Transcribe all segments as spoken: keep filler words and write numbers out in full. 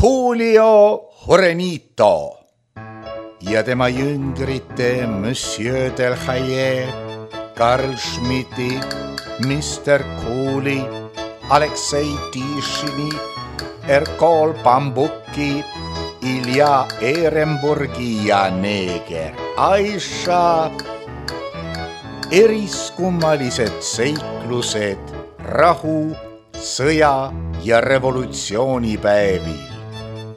Julio Jurenito ja tema jüngrite Monsieur Delhaye, Karl Schmidti, mister Kooli, Aleksei Tišini, Erkol Bambuki, Ilja Ehrenburgi ja neeger Aisha. Eriskummalised seiklused rahu, sõja ja revolutsioonipäevil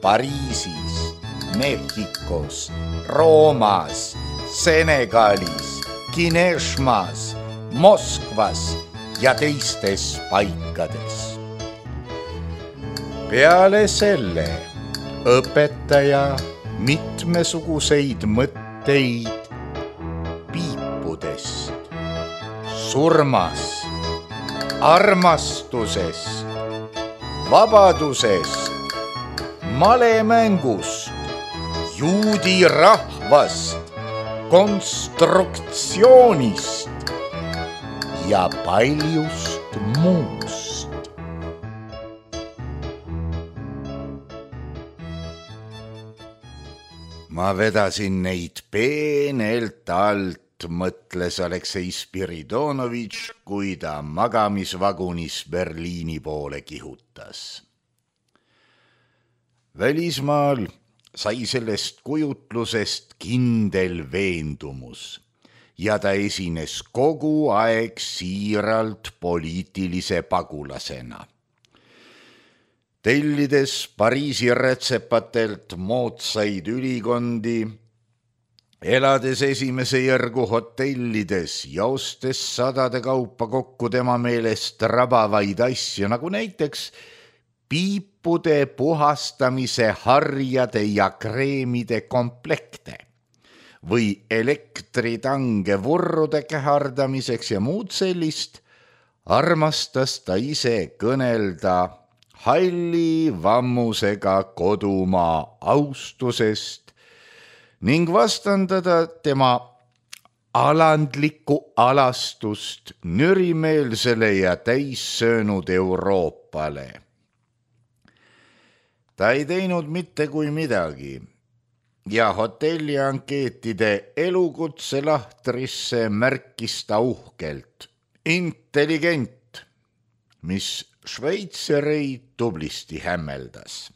Pariisis, Mehhikos, Roomas, Senegalis, Kineshmas, Moskvas ja teistes paikades. Peale selle õpetaja mitmesuguseid mõtteid piipudest, surmast, armastusest, vabadusest, malemängust, juudi rahvast, konstruktsioonist ja paljust muust. Ma vedasin neid peenelt alt, mõtles Aleksei Spiridonovitš, kui ta magamisvagunis Berliini poole kihutas. Välismaal sai sellest kujutlusest kindel veendumus ja ta esines kogu aeg siiralt poliitilise pagulasena. Tellides Pariisi rätsepatelt moodsaid ülikondi, elades esimese järgu hotellides ja ostes sadade kaupa kokku tema meelest rabavaid asju, nagu näiteks piipude puhastamise harjade ja kreemide komplekte või elektritange vurrude kähardamiseks ja muud sellist, armastas ta ise kõnelda halli vammusega kodumaa austusest ning vastandada tema alandlikku alastust nürimeelsele ja täissöönud Euroopale. Ta ei teinud mitte kui midagi ja hotelli ankeetide elukutse lahtrisse märkis ta uhkelt intelligent, mis šveitsereid tublisti hämmeldas.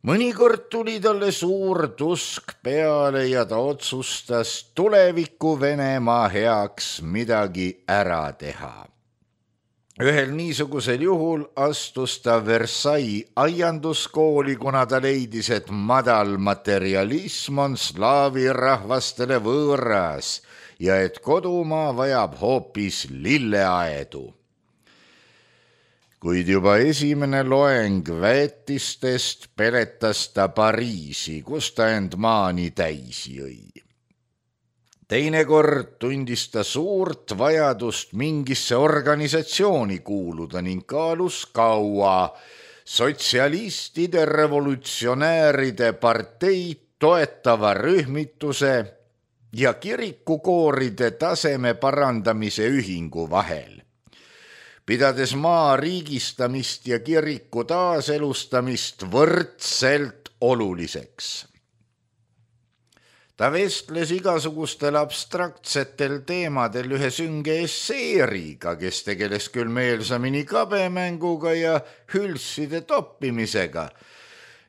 Mõnikord tuli talle suur tusk peale ja ta otsustas tuleviku Venemaa heaks midagi ära teha. Ühel niisugusel juhul astus ta Versailles aianduskooli, kuna ta leidis, et madal materialism on slaavi rahvastele võõras ja et kodumaa vajab hoopis lilleaedu. Kuid juba esimene loeng väetistest peletas ta Pariisi, kus ta end maani täisi jõi. Teinekord tundis ta suurt vajadust mingisse organisatsiooni kuuluda ning kaalus kaua sotsialistide revolutsionääride parteid toetava rühmituse ja kirikukooride taseme parandamise ühingu vahel, pidades maa riigistamist ja kiriku taaselustamist võrdselt oluliseks. Ta vestles igasugustel abstraktsetel teemadel ühe sünge esseeriga, kes tegeles küll meelsamini kabemänguga ja hülside toppimisega,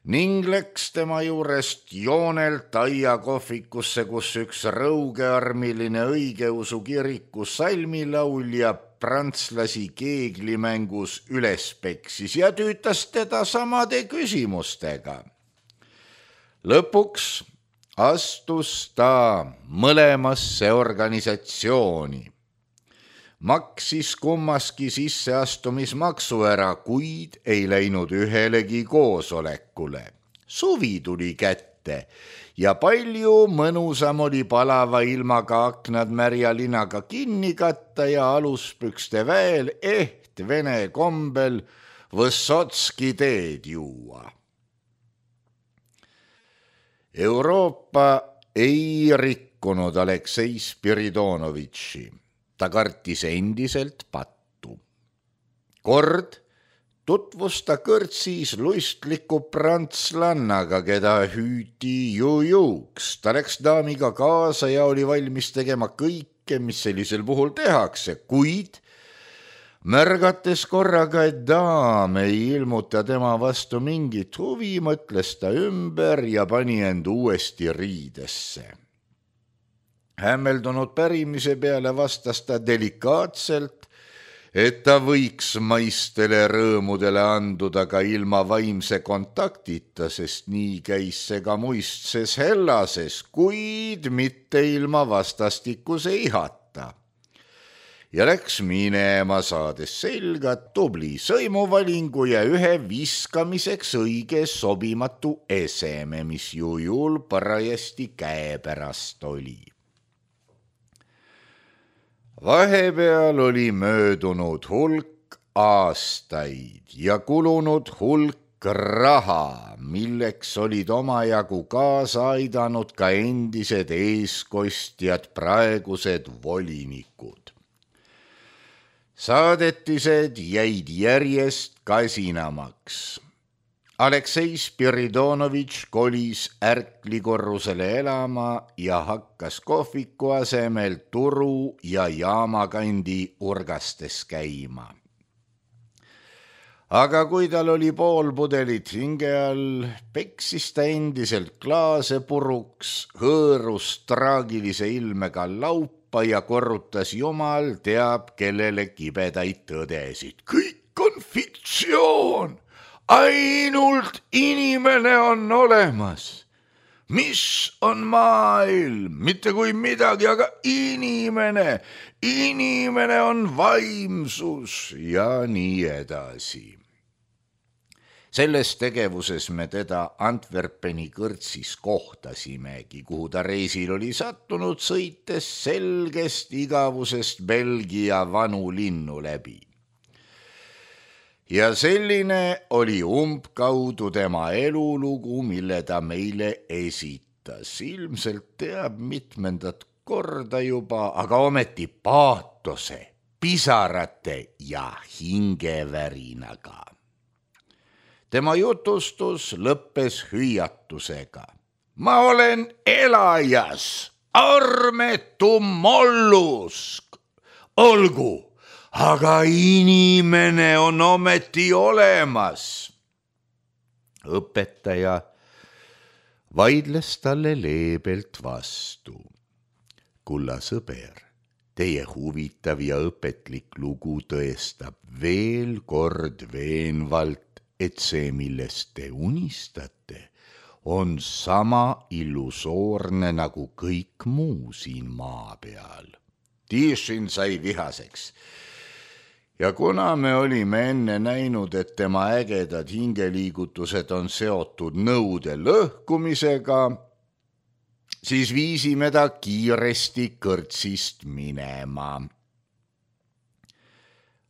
ning läks tema juurest joonelt aiakohvikusse, kus üks rõugearmiline õigeusu kiriku salmilaulja prantslasi keeglimängus üles peksis ja tüütas teda samade küsimustega. Lõpuks astus ta mõlemasse organisatsiooni. Maksis kummaski sisseastumismaksu ära, kuid ei läinud ühelegi koosolekule. Suvi tuli kätte ja palju mõnusam oli palava ilmaga aknad märja linaga kinni katta ja aluspükste väel eht vene kombel Võssotski teed juua. Euroopa ei rikkunud Aleksei Spiridonovitši. Ta kartis endiselt pattu. Kord tutvus ta kõrtsis luistliku prantslannaga, keda hüüti jujuks. Ta läks daamiga kaasa ja oli valmis tegema kõike, mis sellisel puhul tehakse, kuid märgates korraga, et daam ei ilmuta tema vastu mingit huvi, mõtles ta ümber ja pani end uuesti riidesse. Hämmeldunud pärimise peale vastas ta delikaatselt, et ta võiks maistele rõõmudele anduda ka ilma vaimse kontaktita, sest nii käis see ka muistses Hellases, kuid mitte ilma vastastikuse ihata. Ja läks minema, saades selga tubli sõimuvalingu ja ühe viskamiseks õige sobimatu eseme, mis jujul parajasti käepärast oli. Vahepeal oli möödunud hulk aastaid ja kulunud hulk raha, milleks olid omajagu kaasa aidanud ka endised eeskostjad, praegused volinikud. Saadetised jäid järjest kasinamaks. Aleksei Spiridonovitš kolis ärklikorrusele elama ja hakkas kohviku asemel turu ja jaamakandi urgastes käima. Aga kui tal oli pool pudelit hinge all, peksis ta endiselt klaase puruks, hõõrus traagilise ilmega laupa ja korrutas jumal teab kellele kibedaid tõdesid. Kõik on fiktsioon! Ainult inimene on olemas. Mis on maailm? Mitte kui midagi, aga inimene. Inimene on vaimsus ja nii edasi. Selles tegevuses me teda Antwerpeni kõrtsis kohtasimegi, kuhu ta reisil oli sattunud, sõites selgest igavusest Belgia vanu linnu läbi. Ja selline oli umbkaudu tema elulugu, mille ta meile esitas. Ilmselt teab mitmendat korda juba, aga ometi paatose, pisarate ja hingevärinaga. Tema jutustus lõppes hüüatusega. Ma olen elajas, armetu mollusk, olgu! Aga inimene on ometi olemas. Õpetaja vaidles talle leebelt vastu. Kulla sõber, teie huvitav ja õpetlik lugu tõestab veel kord veenvalt, et see, millest te unistate, on sama illusoorne nagu kõik muu siin maa peal. Tišin sai vihaseks. Ja kuna me olime enne näinud, et tema ägedad hingeliigutused on seotud nõude lõhkumisega, siis viisime ta kiiresti kõrtsist minema.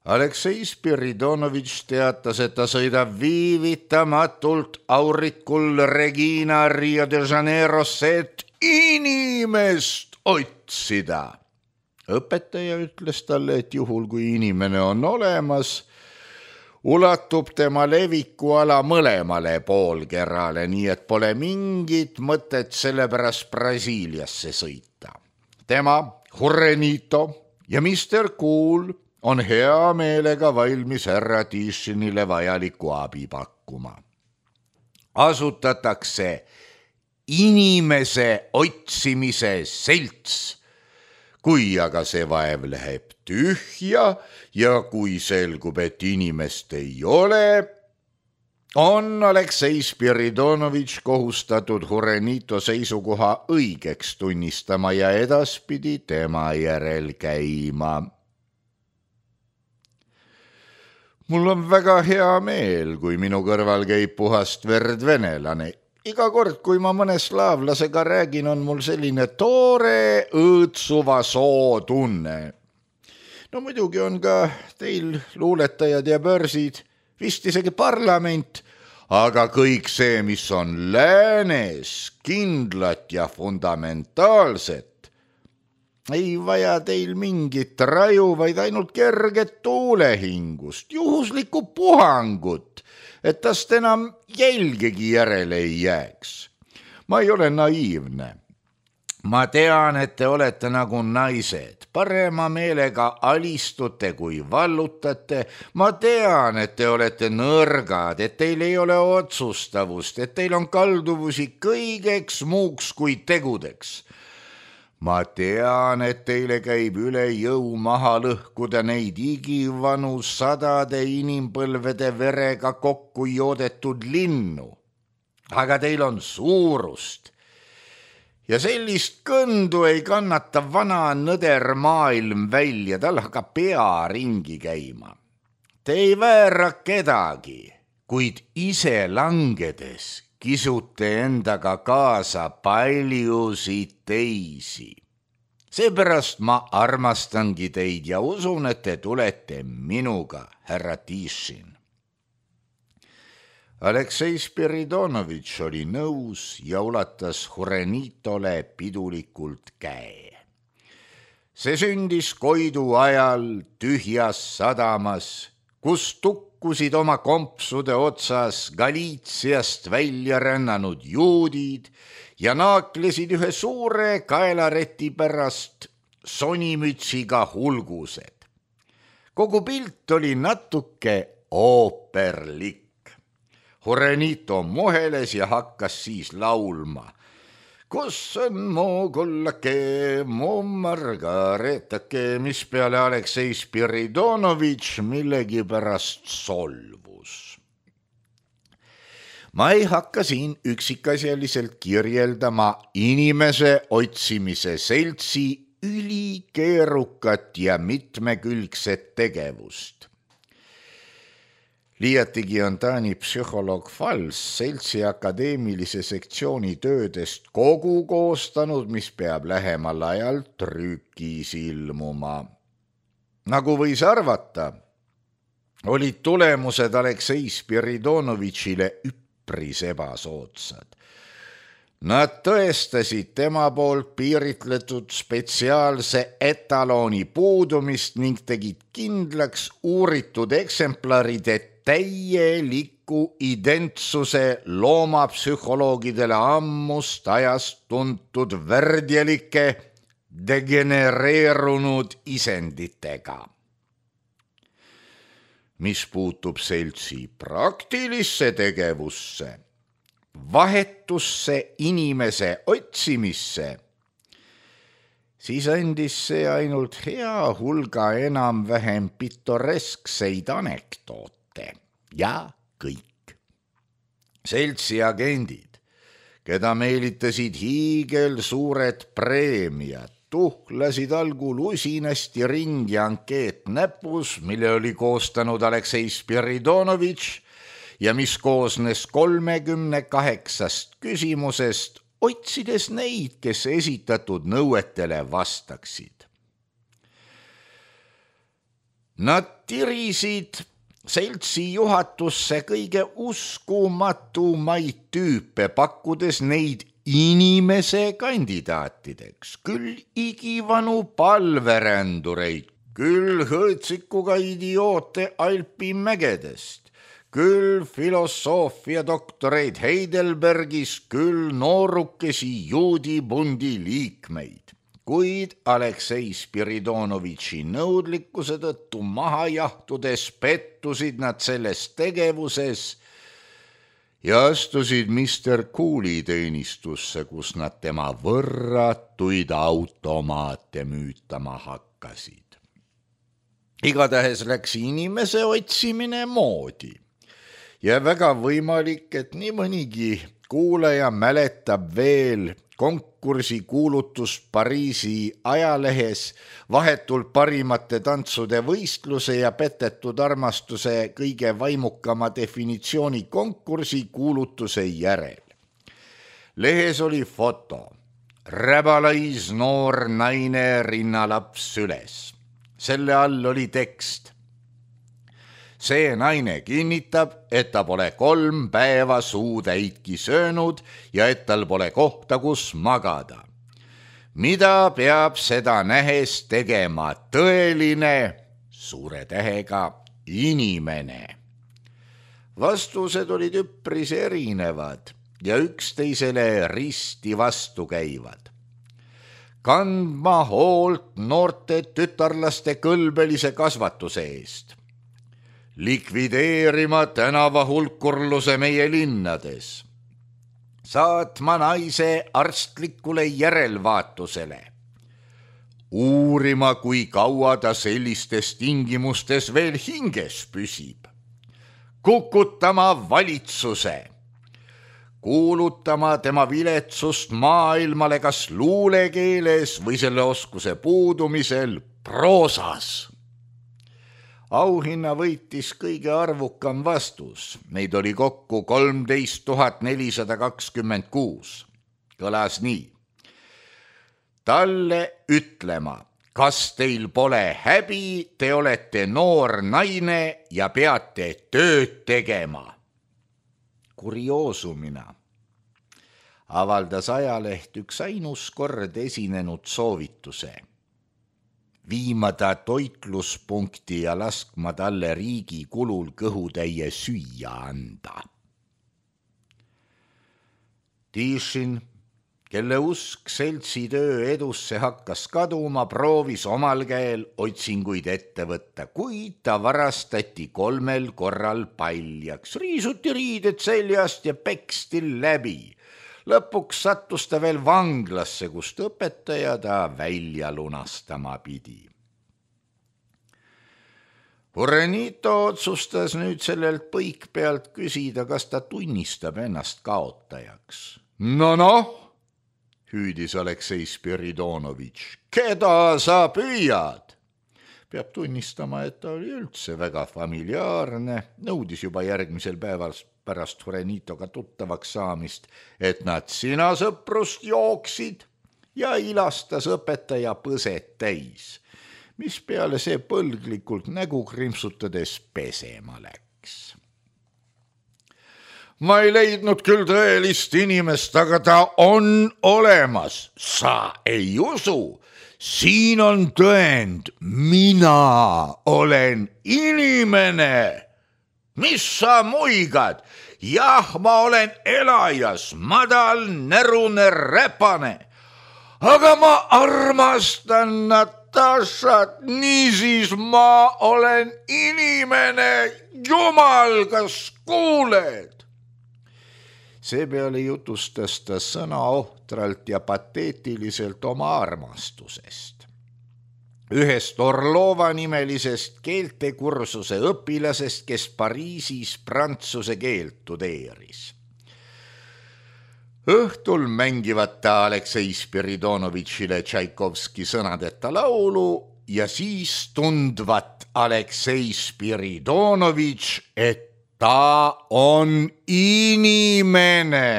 Aleksei Spiridonovitš teatas, et ta sõidab viivitamatult aurikul Regina Rio de Janeirosse, et inimest otsida. Õpetaja ütles talle, et juhul kui inimene on olemas, ulatub tema levikuala mõlemale poolkerale, nii et pole mingit mõtet sellepärast Brasiiliasse sõita. Tema, Jurenito ja mister Cool on hea meelega valmis härra Tišinile vajaliku abi pakkuma. Asutatakse inimese otsimise selts. Kui aga see vaev läheb tühja ja kui selgub, et inimest ei ole, on Aleksei Spiridonovitš kohustatud Jurenito seisukoha õigeks tunnistama ja edaspidi tema järel käima. Mul on väga hea meel, kui minu kõrval käib puhast verd venelane. Iga kord, kui ma mõne slaavlasega räägin, on mul selline toore õõtsuva soo tunne. No muidugi on ka teil luuletajad ja börsid, vist isegi parlament, aga kõik see, mis on läänes kindlat ja fundamentaalset, ei vaja teil mingit raju, vaid ainult kerget tuulehingust, juhuslikku puhangut, et tast enam jälgegi järele ei jääks. Ma ei ole naiivne. Ma tean, et te olete nagu naised, parema meelega alistute kui vallutate. Ma tean, et te olete nõrgad, et teil ei ole otsustavust, et teil on kalduvusi kõigeks muuks kui tegudeks. Ma tean, et teile käib üle jõu maha lõhkuda neid igivanu sadade inimpõlvede verega kokku joodetud linnu. Aga teil on suurust. Ja sellist kõndu ei kannata vana nõder maailm välja, tal hakkab pea ringi käima. Te ei väära kedagi, kuid ise langedes kisute endaga kaasa paljusid teisi. Seepärast ma armastangi teid ja usun, et te tulete minuga, härra Tišin. Aleksei Spiridonovitš oli nõus ja ulatas Hurenitole pidulikult käe. See sündis Koidu ajal tühjas sadamas, kus tukkusid oma kompsude otsas Galiitsiast välja rännanud juudid ja naaklesid ühe suure kaelareti pärast sonimütsiga hulgused. Kogu pilt oli natuke ooperlik. Hurenito muheles ja hakkas siis laulma. Kus on mu kullake, mu margaretake, mis peale Aleksei Spiridonovitš millegi pärast solvus. Ma ei hakka siin üksikasjaliselt kirjeldama inimese otsimise seltsi ülikeerukat ja mitmekülgset tegevust. Liiatigi on Taani psühholoog Fals seltsi akadeemilise sektsiooni töödest kogu koostanud, mis peab lähemal ajal trükis ilmuma. Nagu võis arvata, olid tulemused Aleksei Spiridonovitšile üpris ebasoodsad. Nad tõestasid tema poolt piiritletud spetsiaalse etalooni puudumist ning tegid kindlaks uuritud eksemplaride täieliku identsuse loomapsühholoogidele ammust ajast tuntud värdjalike degenereerunud isenditega. Mis puutub seltsi praktilisse tegevusse, vahetusse inimese otsimisse, siis andis see ainult hea hulga enam-vähem pitoreskseid anekdoote. Ja kõik. Seltsi agendid, keda meelitasid hiigel suured preemiad, tuhlasid algul usinasti ringi ankeet näpus, mille oli koostanud Aleksei Spiridonovitš ja mis koosnes kolmekümne kaheksast küsimusest, otsides neid, kes esitatud nõuetele vastaksid. Nad tirisid seltsi juhatusse kõige uskumatumaid tüüpe, pakkudes neid inimese kandidaatideks, küll igivanu palverändureid, küll hõõtsikuga idioote Alpimägedest, küll filosoofia doktoreid Heidelbergis, küll noorukesi juudibundi liikmeid. Kuid Aleksei Spiridonovitši nõudlikkuse tõttu maha jahtudes pettusid nad selles tegevuses ja astusid mister Cooli teenistusse, kus nad tema võrratuid automaate müütama hakkasid. Igatahes läks inimese otsimine moodi ja väga võimalik, et nii mõnigi kuulaja mäletab veel konkursi kuulutust Pariisi ajalehes vahetult parimate tantsude võistluse ja petetud armastuse kõige vaimukama definitsiooni konkursi kuulutuse järel. Lehes oli foto, räbalais noor naine rinnalaps süles. Selle all oli tekst. See naine kinnitab, et ta pole kolm päeva suutäitki söönud ja et tal pole kohta, kus magada. mida peab seda nähes tegema tõeline, suure tähega, inimene? Vastused olid üpris erinevad ja üksteisele risti vastu käivad. Kandma hoolt noorte tütarlaste kõlbelise kasvatuse eest. Likvideerima tänava hulkurluse meie linnades. Saatma naise arstlikule järelvaatusele. Uurima, kui kaua ta sellistes tingimustes veel hinges püsib. Kukutama valitsuse, kuulutama tema viletsust maailmale kas luulekeeles või selle oskuse puudumisel proosas. Auhinna võitis kõige arvukam vastus, neid oli kokku kolmteist tuhat nelisada kakskümmend kuus. Kõlas nii. Talle ütlema, kas teil pole häbi, te olete noor naine ja peate tööd tegema. Kurioosumina avaldas ajaleht üks ainus kord esinenud soovituse. Viima ta toitluspunkti ja laskma talle riigi kulul kõhutäie süüa anda. Tišin, kelle usk seltsitöö edusse hakkas kaduma, proovis omal käel otsinguid ette võtta, kuid ta varastati kolmel korral paljaks. Riisuti riided seljast ja peksti läbi. Lõpuks sattus ta veel vanglasse, kust õpetaja ta välja lunastama pidi. Urenito otsustas nüüd sellelt põik pealt küsida, kas ta tunnistab ennast kaotajaks. No noh, hüüdis Aleksei Spiridonovitš, keda sa püüad? Peab tunnistama, et ta oli üldse väga familiaarne, nõudis juba järgmisel päeval pärast Urenitoga tuttavaks saamist, et nad sina sõprust jooksid ja ilastas õpetaja põset täis, mis peale see põlglikult nägu krimpsutades pesema läks. Ma ei leidnud küll tõelist inimest, aga ta on olemas. Sa ei usu? Siin on tõend. Mina olen inimene. Mis sa muigad? Jah, ma olen elajas, madal, närune, räpane. Aga ma armastan Natašat, niisiis ma olen inimene. Jumal, kas kuuled? Seepeale jutustas ta sõna ohtralt ja pateetiliselt oma armastusest. Ühest Orlova nimelisest keeltekursuse õpilasest, kes Pariisis prantsuse keelt tudeeris. Õhtul mängivad ta Aleksei Spiridonovitšile Tšaikovski sõnadeta laulu ja siis tundvat Aleksei Spiridonovitš, et ta on inimene.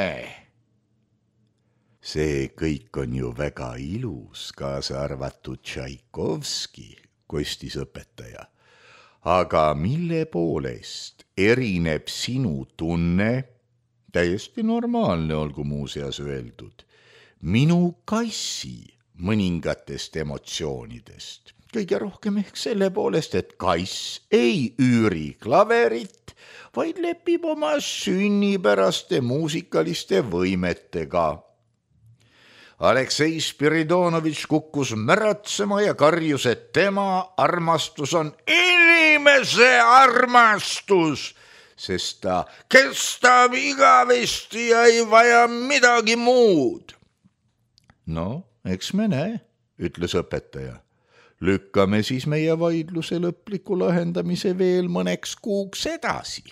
See kõik on ju väga ilus, kaasa arvatud Tšaikovski, kostis õpetaja. Aga mille poolest erineb sinu tunne, täiesti normaalne olgu muuseas öeldud, minu kassi mõningatest emotsioonidest? Kõige rohkem ehk selle poolest, et kass ei üüri klaverit, vaid lepib oma sünnipäraste muusikaliste võimetega. Aleksei Spiridonovitš kukkus märatsema ja karjus, et tema armastus on inimese armastus, sest ta kestab igavesti ja ei vaja midagi muud. No, eks me näe, ütles õpetaja. Lükkame siis meie vaidluse lõpliku lahendamise veel mõneks kuuks edasi.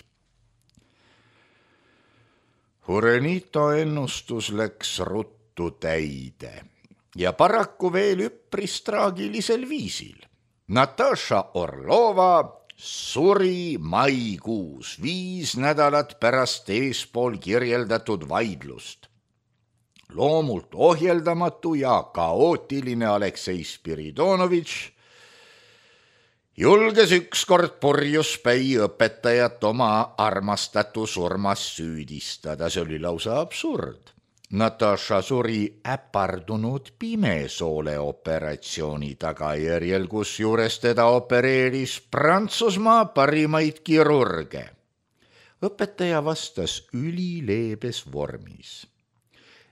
Urenito ennustus läks ruttu täide ja paraku veel üpris traagilisel viisil. Nataša Orlova suri maikuus, viis nädalat pärast eespool kirjeldatud vaidlust. Loomult ohjeldamatu ja kaootiline Aleksei Spiridonovitš julges ükskord purjuspäi õpetajat oma armastatu surmas süüdistada. See oli lausa absurd. Natasha suri äpardunud pimesoole operatsiooni tagajärjel, kusjuures teda opereeris Prantsusmaa parimaid kirurge. Õpetaja vastas ülileebes vormis,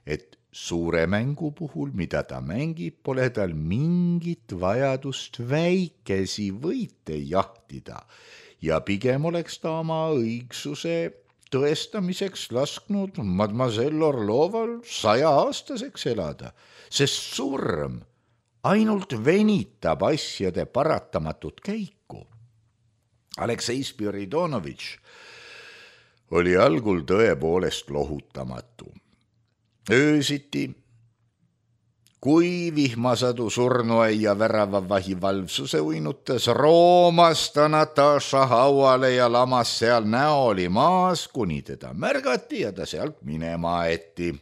et suure mängu puhul, mida ta mängib, pole tal mingit vajadust väikesi võite jahtida ja pigem oleks ta oma õigsuse tõestamiseks lasknud mademoiselle Orloval sajaaastaseks elada, sest surm ainult venitab asjade paratamatut käiku. Aleksei Spiridonovitš oli algul tõepoolest lohutamatu. Öösiti, kui vihmasadu surnuaia väravavahi valvsuse uinutas, roomas ta Natasha hauale ja lamas seal näoli maas, kuni teda märgati ja ta sealt minema aeti.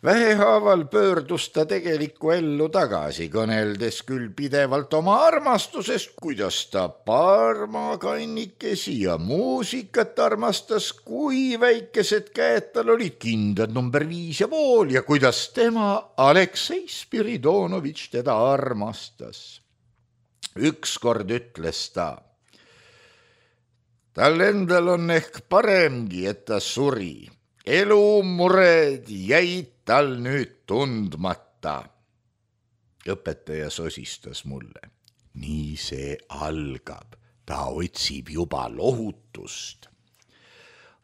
Vähehaaval pöördus ta tegelikku ellu tagasi, kõneldes küll pidevalt oma armastusest, kuidas ta parmakannikesi ja muusikat armastas, kui väikesed käed tal olid kindad number viis ja pool ja kuidas tema, Aleksei Spiridonovitš, teda armastas. Ükskord ütles ta, tal endal on ehk paremgi, et ta suri. Elumured jäid tal nüüd tundmata. Õpetaja sosistas mulle. Nii see algab. Ta otsib juba lohutust.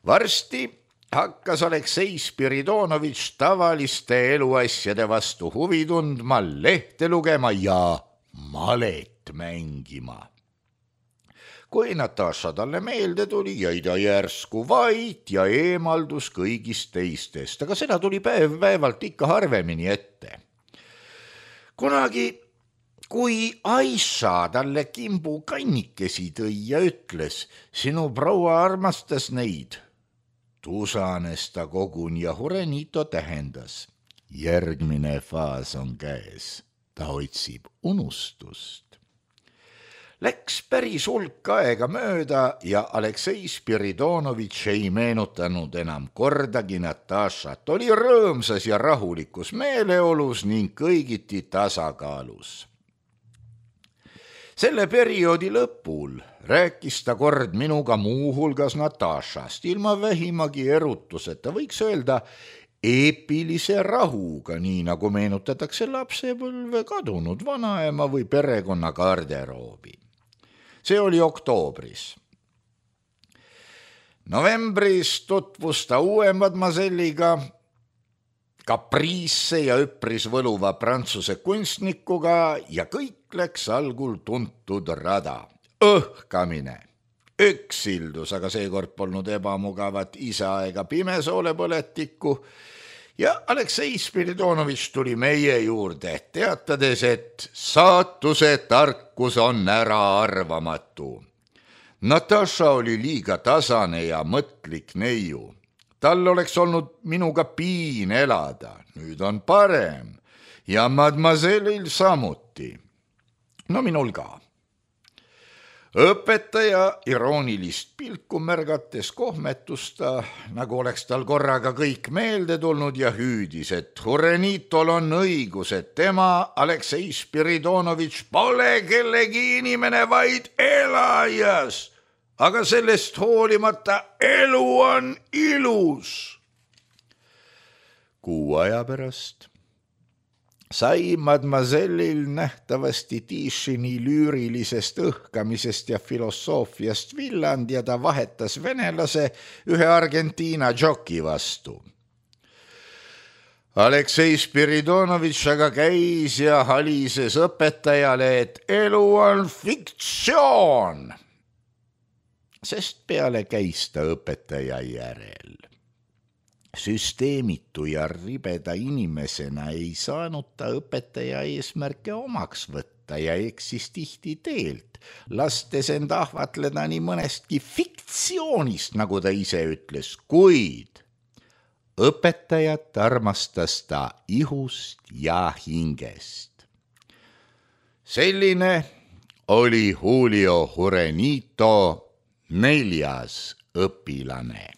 Varsti hakkas Aleksei Spiridonovitš tavaliste eluasjade vastu huvi tundma, lehte lugema ja malet mängima. Kui Natasha talle meelde tuli, jäi ta järsku vait ja eemaldus kõigist teistest, aga seda tuli päev päevalt ikka harvemini ette. Kunagi, kui Aisha talle kimbu kannikesi tõi ja ütles, sinu proua armastas neid, tusanes ta koguni ja Hurenito tähendas. Järgmine faas on käes, ta otsib unustust. Läks päris hulk aega mööda ja Aleksei Spiridonovitš ei meenutanud enam kordagi Natashat, oli rõõmsas ja rahulikus meeleolus ning kõigiti tasakaalus. Selle perioodi lõpul rääkis ta kord minuga muu hulgas Natashast, ilma vähimagi erutuseta, võiks öelda eepilise rahuga, nii nagu meenutatakse lapsepõlve kadunud vanaema või perekonna garderoobi. See oli oktoobris. Novembris tutvus ta uue mademoiselliga, kapriisse ja üpris võluva prantsuse kunstnikuga ja kõik läks algul tuntud rada. Õhkamine, üksildus, aga seekord polnud ebamugavat isa ega pimesoole põletikku ja Aleksei Spiridonovitš tuli meie juurde, teatades, et saatuse tarkus on äraarvamatu. Natasha oli liiga tasane ja mõtlik neiu. Tal oleks olnud minuga piin elada, nüüd on parem ja mademoisellil samuti. No minul ka. Õpetaja iroonilist pilku märgates kohmetus ta, nagu oleks tal korraga kõik meelde tulnud ja hüüdis, et Hurenitol on õigus, et tema, Aleksei Spiridonovitš, pole kellegi inimene, vaid elajas, aga sellest hoolimata elu on ilus. Kuu aja pärast sai mademoisellil nähtavasti Tišini lüürilisest õhkamisest ja filosoofiast villand ja ta vahetas venelase ühe Argentiina džoki vastu. Aleksei Spiridonovitš aga käis ja halises õpetajale, et elu on fiktsioon, sest peale käis ta õpetaja järel. Süsteemitu ja ribeda inimesena ei saanud ta õpetaja eesmärke omaks võtta ja eksis tihti teelt, lastes end ahvatleda nii mõnestki fiktsioonist, nagu ta ise ütles, kuid õpetajat armastas ta ihust ja hingest. Selline oli Julio Hurenito neljas õpilane.